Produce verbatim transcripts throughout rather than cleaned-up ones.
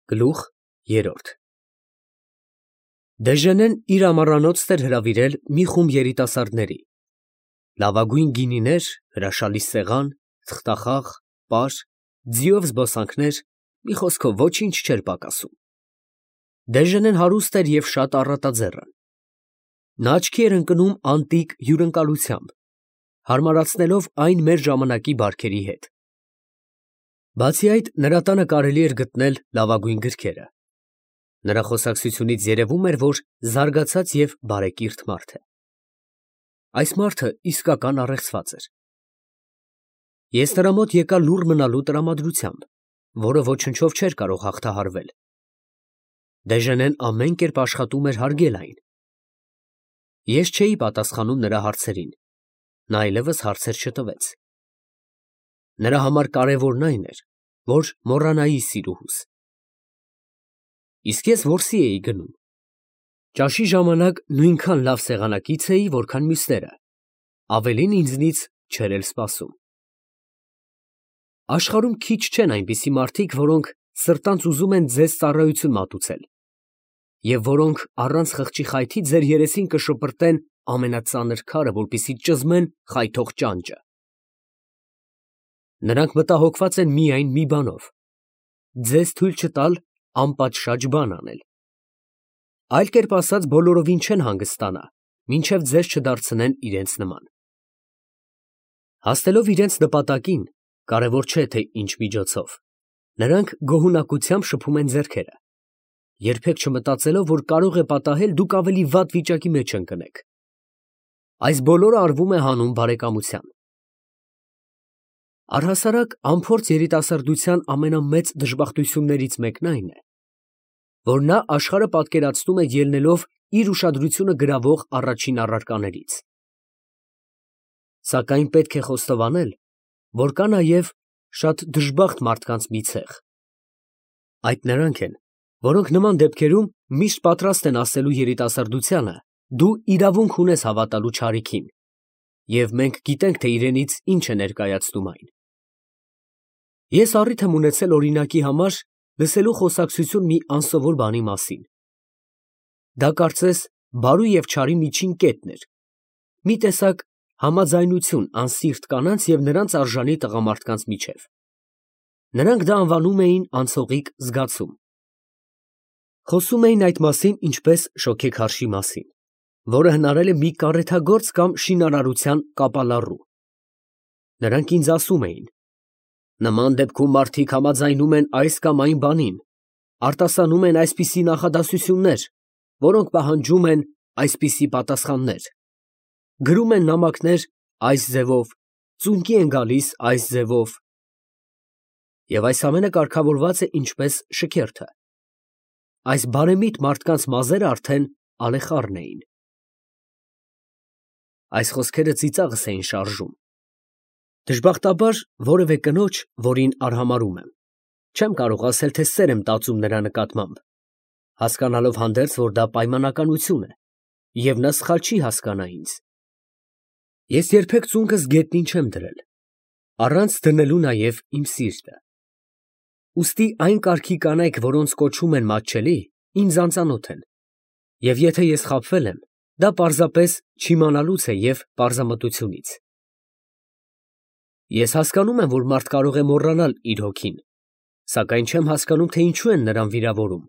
Գլուխ երրորդ Դեժենեն իր ամառանոցն էր հրավիրել մի խումբ երիտասարդների. լավագույն գինիներ, հրաշալի սեղան, թղթախաղ, պար, ձիով զբոսանքներ, մի խոսքով ոչինչ չէր պակասում. Դեժենեն հարուստ էր և շատ առատաձեռն. նա աչքի էր ընկնում անտիկ հյուրընկալությամբ, հարմարացնելով այն մեր ժամանակի բարքերի հետ. բացի այդ, նրա տանը կարելի էր գտնել լավագույն գրքերը. նրա խոսակցությունից երևում էր, որ զարգացած և բարեկիրթ մարդ է. այս մարդը իսկական առեղծված էր. ես նրա մոտ եկա լուռ մնալու տրամադրությամբ, որը ոչնչով չէր կարող հաղթահարվել. Դեժենեն ամեն կերպ աշխատում էր հարգել այն. ես չէի պատասխանում նրա հարցերին, նա այլևս հարցեր չտվեց. նրա համար կարևորն այն էր, որ մոռանայի սիրուհուս. իսկ ես որսի էի գնում. ճաշի ժամանակ նույնքան լավ սեղանակից էի, որքան մյուսները, ավելին ինձնից չէր էլ սպասում. աշխարհում քիչ չեն այնպիսի մարդիկ, որոնք սրտանց ուզում են ձեզ ծառայություն մատուցել, և որոնք առանց խղճի խայթի ձեր երեսին կշպրտեն ամենածանր քարը, որպեսզի ճզմեն խայթող ճանճը. նրանք մտահոգված են միայն մի բանով, ձեզ թույլ չտալ անպատշաճ բան անել. այլ կերպ ասած, բոլորովին չեն հանգստանա, մինչև ձեզ չդարձնեն իրենց նման. հասնելով իրենց նպատակին, կարևոր չէ, թե ինչ միջոցով, նրանք գոհունակությամբ շփում են ձեռքերը, երբեք չմտածելով, որ կարող է պատահել դուք ավելի վատ վիճակի մեջ ընկնեք. այս բոլորը արվում է հանուն բարեկամության. Առհասարակ, անփորձ երիտասարդության ամենամեծ դժբախտություններից մեկն այն է, որ նա աշխարհը պատկերացնում է ելնելով իր ուշադրությունը գրավող առաջին առարկաներից. սակայն պետք է խոստովանել, որ կա նաև շատ դժբախտ մարդկանց մի ցեղ. այդ նրանք են, որոնք նման դեպքերում միշտ պատրաստ են ասելու երիտասարդությանը, դու իրավունք ունես հավատալու չարիքին, և մենք գիտենք, թե իրենից ինչ է ներկայացնում այն. ես առիթ եմ ունեցել օրինակի համար լսելու խոսակցություն մի անսովոր բանի մասին. դա կարծես բարու և չարի միջին կետն էր, մի տեսակ համաձայնություն անսիրտ կանանց և նրանց արժանի տղամարդկանց միջև. նրանք դա անվանում էին անցողիկ զգացում. խոսում էին այդ մասին ինչպես շոգեքարշի մասին, որը հնարել է մի կարեթագործ կամ շինարարության կապալառու. նրանք ինձ ասում էին. նման դեպքում մարդիկ համաձայնում են այս կամ այն բանին, արտասանում են այսպիսի նախադասություններ, որոնք պահանջում են այսպիսի պատասխաններ, գրում են նամակներ այս ձևով, ծունկի են գալիս այս ձևով, և այս ամենը կարգավորված է ինչպես շքերթը. այս բարեմիտ մարդկանց մազերը արդեն ալեխառն էին. այս խոսքերը ծիծաղս էին շարժում. դժբախտաբար, որևէ կնոջ, որին արհամարհում եմ, չեմ կարող ասել, թե սեր եմ տածում նրա նկատմամբ, հասկանալով հանդերձ, որ դա պայմանականություն է, և նա սխալ չի հասկանա ինձ. ես երբեք ծունկս գետնին չեմ դրել, առանց դնելու նաև իմ սիրտը. ուստի այն կարգի կանայք, որոնց կոչում են մատչելի, ինձ անծանոթ են, և եթե ես խաբվել եմ, դա պարզապես չիմանալուց է և պարզամտությունից. ես հասկանում եմ, որ մարդ կարող է մոռանալ իր հոգին, սակայն չեմ հասկանում, թե ինչու են նրան վիրավորում.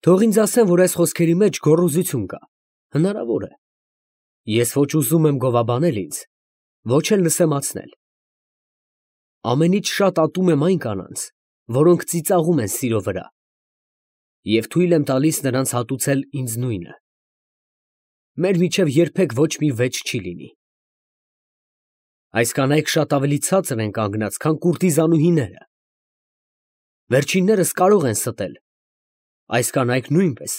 թող ինձ ասեն, որ այս խոսքերի մեջ գոռոզություն կա, հնարավոր է. ես ոչ ուզում եմ գովաբանել ինձ, ոչ էլ նսեմացնել. ամենից շատ ատում եմ այն կանանց, որոնք ծիծաղում են սիրո վրա, և թույլ եմ տալիս նրանց հատուցել ինձ նույնը. մեր միջև երբեք ոչ մի վեճ չի լինի. այս կանայք շատ ավելի ցածր են կանգնած, քան կուրտիզանուհիները. վերջիններս կարող են ստել, այս կանայք նույնպես,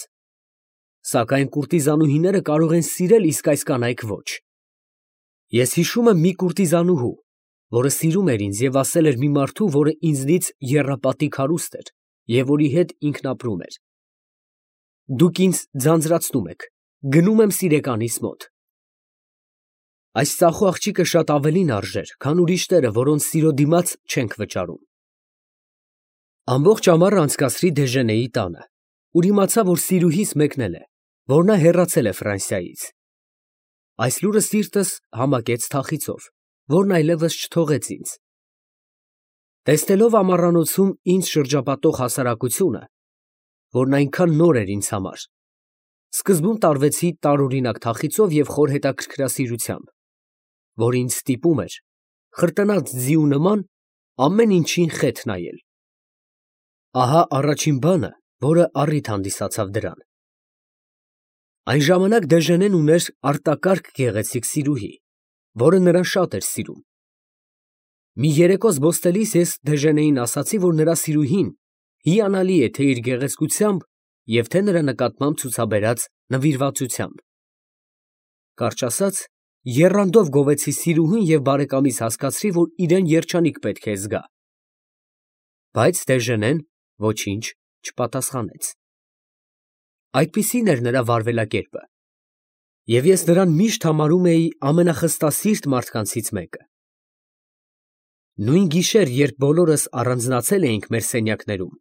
սակայն կուրտիզանուհիները կարող են սիրել, իսկ այս կանայք ոչ. ես հիշում եմ մի կուրտիզանուհու, որը սիրում էր ինձ և ասել էր մի մարդու, որը ինձնից եռապատիկ հարուստ էր և որի հետ ինքն ապրում էր. դուք ինձ ձանձրացնում եք, գնում եմ սիրեկանիս մոտ. այս ծախու աղջիկը շատ ավելին արժեր, քան ուրիշները, որոնց սիրո դիմաց չենք վճարում. Ամբողջ ամառը անցկացրի Դեժենեի տանը, ուր իմացա, որ սիրուհիս մեկնել է, որ նա հեռացել է Ֆրանսիայից։ Այս լուրը սիրտս համակեց թախիծով, որն այլևս չթողեց ինձ։ Տեսնելով ամառանոցում ինձ շրջապատող հասարակությունը, որն այնքան նոր էր ինձ համար, սկզբում տարվեցի տարօրինակ թախիծով և խոր հետաքրքրասիրությամբ, որ ինձ ստիպում էր, խրտնած ձիու նման, ամեն ինչին խեթ նայել։ Ահա առաջին բանը, որը առիթ հանդիսացավ դրան։ Այն ժամանակ Դեժենեն ուներ արտակարգ գեղեցիկ սիրուհի, որը նրան շատ էր սիրում։ Մի երեկո զբոսնելիս ես Դեժենեին ասացի, որ նրա սիրուհին հիանալի է թե իր գեղեցկությամբ և թե նրա նկատմամբ ցուցաբերած նվիրվածությամբ։ Կարճ ասած, եռանդով գովեցի սիրուհուն և բարեկամիս հասկացրի, որ իրեն երջանիկ պետք է զգա։ Բայց Դեժենեն ոչինչ չպատասխանեց։ Այդպիսին էր նրա վարվելակերպը, և ես նրան միշտ համարում էի ամենախստասիրտ մարդկանցից մեկը։ Նույն գիշեր, երբ բոլորս առանձնացել էինք մեր սենյակներում,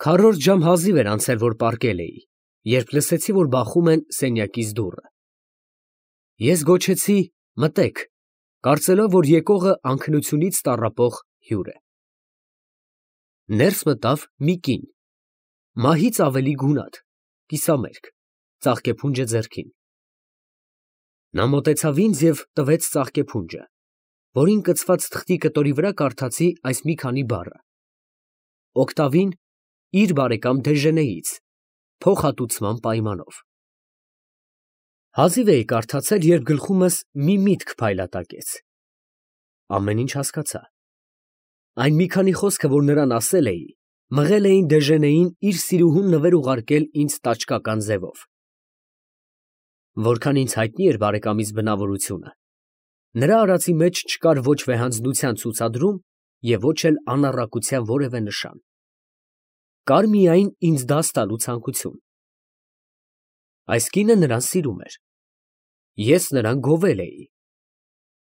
քառորդ ժամ հազիվ էր անցել, որ պառկել էի, երբ լսեցի, որ բախում են սենյակիս դուռը։ Ես գոչեցի «մտե՛ք», կարծելով, որ եկողը անքնությունից տառապող հյուր է։ Ներս մտավ մի կին, մահից ավելի գունատ, կիսամերկ, ծաղկեփունջը ձեռքին։ Նա մոտեցավ ինձ և տվեց ծաղկեփունջը, որին կցված թղթի կտորի վրա կարդացի այս մի քանի բառը. «Օկտավին իր բարեկամ Դեժենեից, փոխհատուցման պայմանով»։ Հազիվ էի կարդացել, երբ գլխումս մի միտք փայլատակեց։ Ամեն ինչ հասկացա։ Այն մի քանի խոսքը, որ նրան ասել էի, մղել էին Դեժենեին իր սիրուհուն նվեր ուղարկել ինձ տաճկական ձևով։ Որքան ինձ հայտնի էր բարեկամիս բնավորությունը, նրա արածի մեջ չկար ոչ վեհանձնության ցուցադրում և ոչ էլ անառակության որևէ նշան։ Կար միայն ինձ դաս տալու ցանկություն։ Այս կինը նրան սիրում էր։ Ես նրան գովել էի։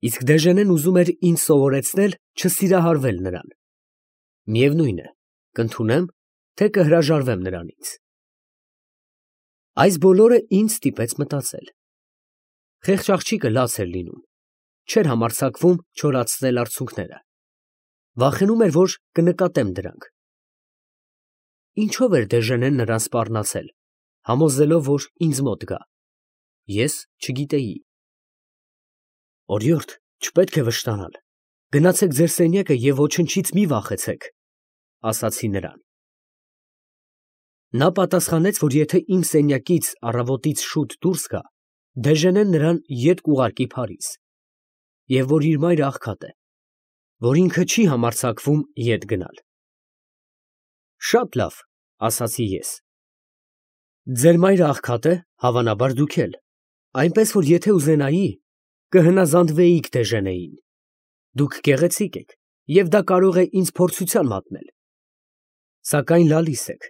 Իսկ Դեժենեն ուզում էր ինձ սովորեցնել չսիրահարվել նրան։ Միևնույն է, կընդունեմ, թե կհրաժարվեմ նրանից։ Այս բոլորը ինձ ստիպեց մտածել։ Խեղճ աղջիկը լաց էր լինում, չէր համարձակվում չորացնել արցունքները, վախենում էր, որ կնկատեմ դրանք։ Ինչո՞վ էր Դեժենեն նրան սպառնացել, համոզելով, որ ինձ մոտ գա։ Ես չգիտեի։ Օրիորդ, չպետք է վշտանալ, գնացեք ձեր սենյակը և ոչնչից մի վախեցեք, ասացի նրան։ Նա պատասխանեց, որ եթե իմ սենյակից առավոտից շուտ դուրս գա, Դեժենեն նրան ետ կուղարկի Փարիզ, և որ իր մայրը աղքատ է, որ ինքը չի համարձակվում ետ գնալ։ Շատ լավ, ասացի ես։ Ձեր մայրը աղքատ է, հավանաբար դուք էլ, այնպես որ եթե ուզենայի, կհնազանդվեիք Դեժենեին։ Դուք գեղեցիկ եք, և դա կարող է ինձ փորձության մատնել։ Սակայն լալիս եք,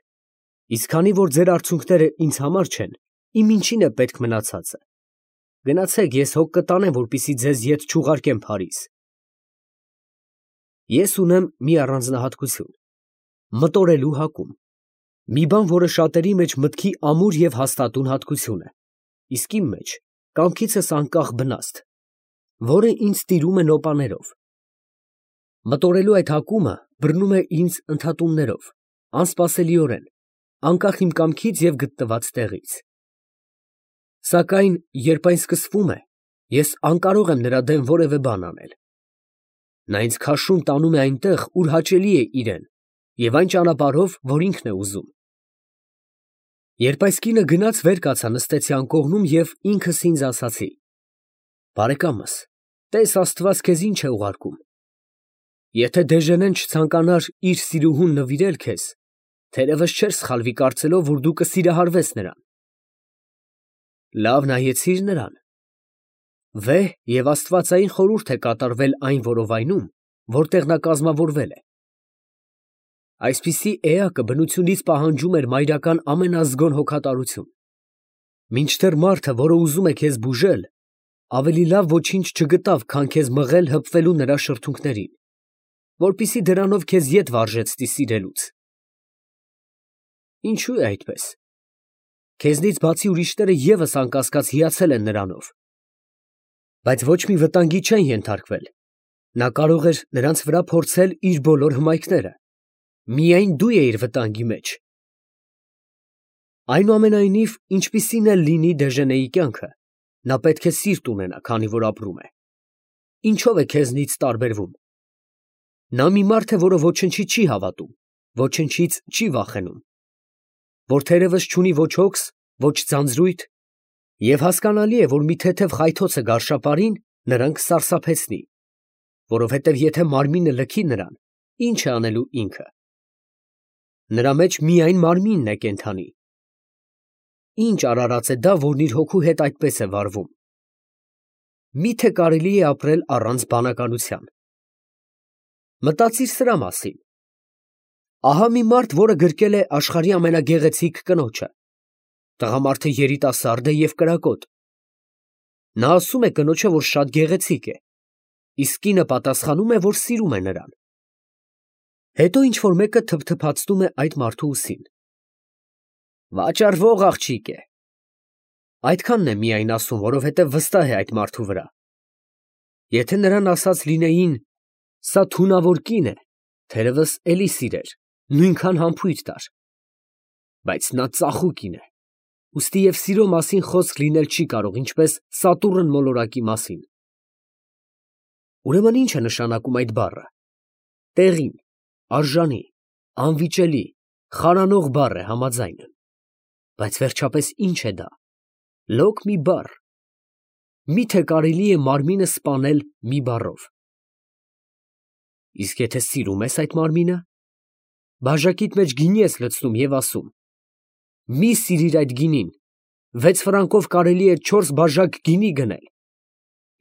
իսկ քանի որ ձեր արցունքները ինձ համար չեն, իմ ինչին է պետք մնացածը։ Գնացեք, ես հոգ կտանեմ, որպեսզի ձեզ ետ չուղարկեմ Փարիզ։ Ես ունեմ մի առանձնահատկություն՝ մտորելու հակում, մի բան, որը շատերի մեջ մտքի ամուր և հաստատուն հատկություն է, իսկ իմ մեջ կամքիցս անկախ բնաստ, որը ինձ տիրում է նոպաներով։ Մտորելու այդ հակումը բռնում է ինձ ընդհատումներով, անսպասելիորեն, անկախ իմ կամքից և գտնված տեղից։ Սակայն, երբ այն սկսվում է, ես անկարող եմ նրա դեմ որևէ բան անել։ Նա ինձ քաշում տանում է այնտեղ, ուր հաճելի է իրան, և այն ճանապարհով, որ ինքն է ուզում։ Երբ այս կինը գնաց, վեր կացա, նստեցի անկողնում և ինքս ինձ ասացի. «Բարեկամս, տես Աստված քեզ ինչ է ուղարկում։ Եթե Դեժենեն չցանկանար իր սիրուհուն նվիրել քեզ, թերևս չէր սխալվի կարծելով, որ դու կսիրահարվես նրան։ Լավ նայեցի՞ր նրան։ Վեհ և աստվածային խորհուրդ է կատարվել այն որովայնում, որտեղ նա կազմավորվել է։ Այսպիսի էակը բնությունից պահանջում էր մայրական ամենազգոն հոգատարություն։ Մինչդեռ մարդը, որը ուզում է քեզ բուժել, ավելի լավ ոչինչ չգտավ, քան քեզ մղել հպվելու նրա շրթունքներին։ որպեսզի դրանով քեզ ետ վարժեցնի սիրելուց։ Ինչու է այդպես։ Քեզնից բացի ուրիշները ևս անկասկած հիացել են նրանով։ Բայց ոչ մի վտանգի չեն ենթարկվել։ Նա կարող էր նրանց վրա փորձել իր բոլոր հմայքները։ Միայն դու էիր վտանգի մեջ։ Այնուամենայնիվ, ինչպիսին էլ լինի Դեժենեի կյանքը, նա պետք է սիրտ ունենա, քանի որ ապրում է։ Ինչո՞վ է քեզնից տարբերվում։ Նա մի մարդ է, որը ոչնչի չի հավատում, ոչնչից չի վախենում, որ թերևս չունի ոչ հոգս, ոչ ձանձրույթ, և հասկանալի է, որ մի թեթև խայթոցը գարշապարին նրան կսարսափեցնի, որովհետև եթե մարմինը լքի նրան, ի՞նչ է անելու ինքը։ Նրա մեջ միայն մարմինն է կենդանի։ Ինչ արարած է դա, որն իր հոգու հետ այդպես է վարվում։ Մի՞թե կարելի է ապրել առանց բանականության։ Մտածիր սրա մասին։ Ահա մի մարդ, որը գրկել է աշխարհի ամենագեղեցիկ կնոջը։ Տղամարդը երիտասարդ է և կրակոտ։ Նա ասում է կնոջը, որ շատ գեղեցիկ է, իսկ կինը պատասխանում է, որ սիրում է նրան։ Հետո ինչ֊որ մեկը թփթփացնում է այդ մարդու ուսին։ Վաճառվող աղջիկ է։ Այդքանն է միայն ասում, որովհետև վստահ է այդ մարդու վրա։ Եթե նրան ասած լինեին, սա թունավոր կին է, թերևս էլի սիրեր, նույնքան համբույր տար։ Բայց նա ծախու կին է, ուստի և սիրո մասին խոսք լինել չի կարող, ինչպես Սատուրն մոլորակի մասին։ Ուրեմն ի՞նչ է նշանակում այդ բառը։ Տեղին, արժանի, անվիճելի, խարանող բառ է համաձայն եմ։ Բայց վերջապես ի՞նչ է դա։ Լոկ մի բառ։ Մի՞թե կարելի է մարմինը սպանել մի բառով։ Իսկ եթե սիրում ես այդ մարմինը, բաժակիդ մեջ գինի ես լցնում և ասում. մի սիրիր այդ գինին, վեց ֆրանկով կարելի է չորս բաժակ գինի գնել,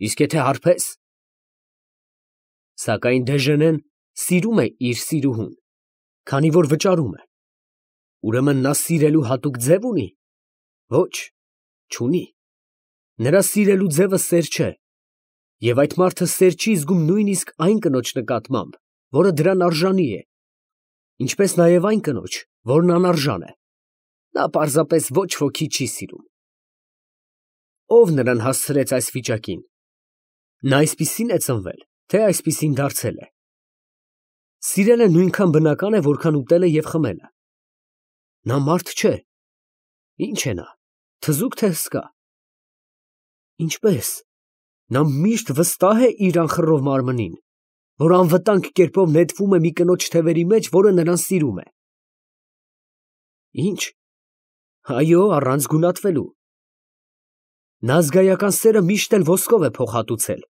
իսկ եթե հարբես։ Սակայն Դեժենեն սիրում է իր սիրուհուն, քանի որ վճարում է։ Ուրեմն նա սիրելու հատուկ ձև ունի։ Ոչ, չունի։ Նրա սիրելու ձևը սեր չէ, և այդ մարդը սեր չի զգում նույնիսկ այն կնոջ նկատմամբ, որը դրան արժանի է, ինչպես նաև այն կնոջ, որն անարժան է։ Նա պարզապես ոչ ոքի չի սիրում։ Ո՞վ նրան հասցրեց այս վիճակին։ Նա այսպիսի՞ն է ծնվել, թե այսպիսին դարձել է։ Սիրելը նույնքան բնական է, որքան ուտելը և խմելը։ Նա մարդ չէ։ Ինչ է նա, թզուկ թե հսկա։ Ինչպե՞ս։ Նա միշտ վստահ է իր անխռով մարմնին, որ անվտանգ կերպով նետվում է մի կնոջ թևերի մեջ, որը նրան սիրում է։ Ինչ։ Այո, առանց գունատվելու։ Նա զգայական սերը միշտ էլ ոսկով է փոխհատուցել։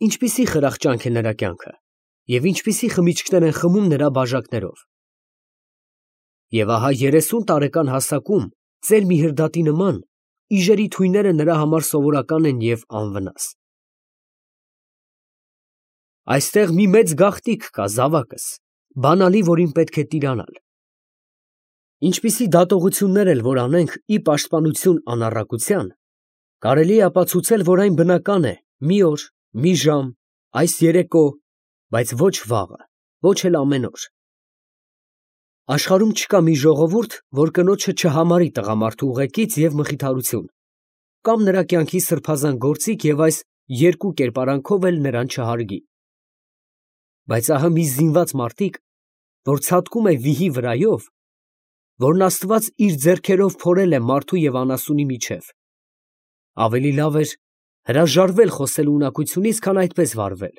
Ինչպիսի խրախճանք է նրա կյանքը, և ինչպիսի խմիչքներ են խմում նրա բաժակներով։ Եվ ահա երեսուն տարեկան հասակում, ծեր մի հրդատի նման, իժերի թույները նրա համար սովորական են և անվնաս։ Այստեղ մի մեծ գաղտնիք կա, զավակս, բանալի, որին պետք է տիրանալ։ Ինչպիսի դատողություններ էլ որ անենք ի պաշտպանություն անառակության, կարելի է ապացուցել, որ այն բնական է մի օր, մի ժամ, այս երեկո, բայց ոչ վաղը, ոչ էլ ամեն օր։ Աշխարհում չկա մի ժողովուրդ, որ կնոջը չհամարի տղամարդու ուղեկից և մխիթարություն, կամ նրա կյանքի սրբազան գործիք և այս երկու կերպարանքով էլ նրան չհարգի։ Բայց ահա մի զինված մարդիկ, որ ցատկում է վիհի վրայով, որն Աստված իր ձեռքերով փորել է մարդու և անասունի միջև, ավելի լավ էր հրաժարվել խոսելու ունակությունից, քան այդպես վարվել։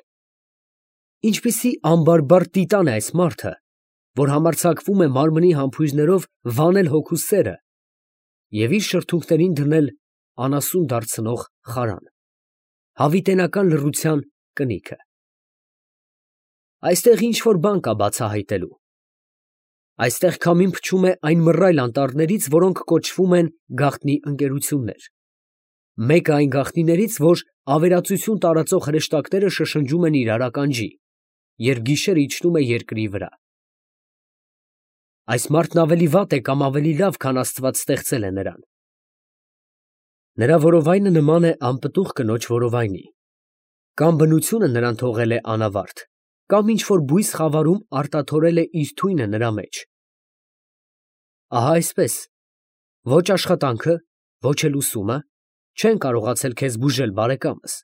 Ինչպիսի անբարբար տիտան է այս մարդը, որ համարձակվում է մարմնի համբույրներով վանել հոգու սերը և իր շրթունքներին դնել անասուն դարձնող խարան, հավիտենական լռության կնիքը։ Այստեղ ինչ֊որ բան կա բացահայտելու։ Այստեղ քամին փչում է այն մռայլ անտառներից, որոնք կոչվում են գաղտնի ընկերություններ։ Մեկը այն գաղտնիներից, որ ավերածություն տարածող հրեշտակները շշնջում են իրար ականջի, երբ գիշերը իջնում է երկրի վրա։ Այս մարդն ավելի վատ է կամ ավելի լավ, քան Աստված ստեղծել է նրան։ Նրա որովայնը նման է անպտուղ կնոջ որովայնի, կամ բնությունը նրան թողել է անավարտ, կամ ինչ-որ բույս խավարում արտաթորել է իր թույնը նրա մեջ։ Ահա այսպես, ոչ աշխատանքը, ոչ էլ ուսումը չեն կարողացել քեզ բուժել, բարեկամս։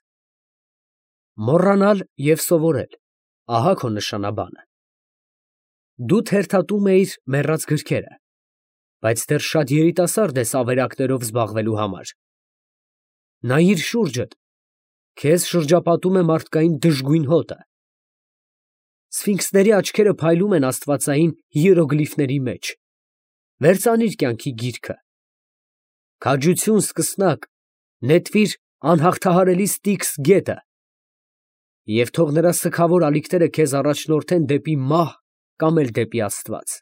Մոռանալ և սովորել, ահա քո նշանաբանը։ Դու թերթատում էիր մեռած գրքերը, բայց դեռ շատ երիտասարդ ես ավերակներով զբաղվելու համար։ Նայիր շուրջդ, քեզ շրջապատում է մարդկային դժգույն հոտը։ Սֆինքսների աչքերը փայլում են աստվածային հիերոգլիֆների մեջ։ Վերցանիր կյանքի գիրքը։ Քաջություն, սկսնակ, նետվիր անհաղթահարելի Ստիգս գետը, և թող նրա սգավոր ալիքները քեզ առաջնորդեն դեպի մահ կամ էլ դեպի Աստված։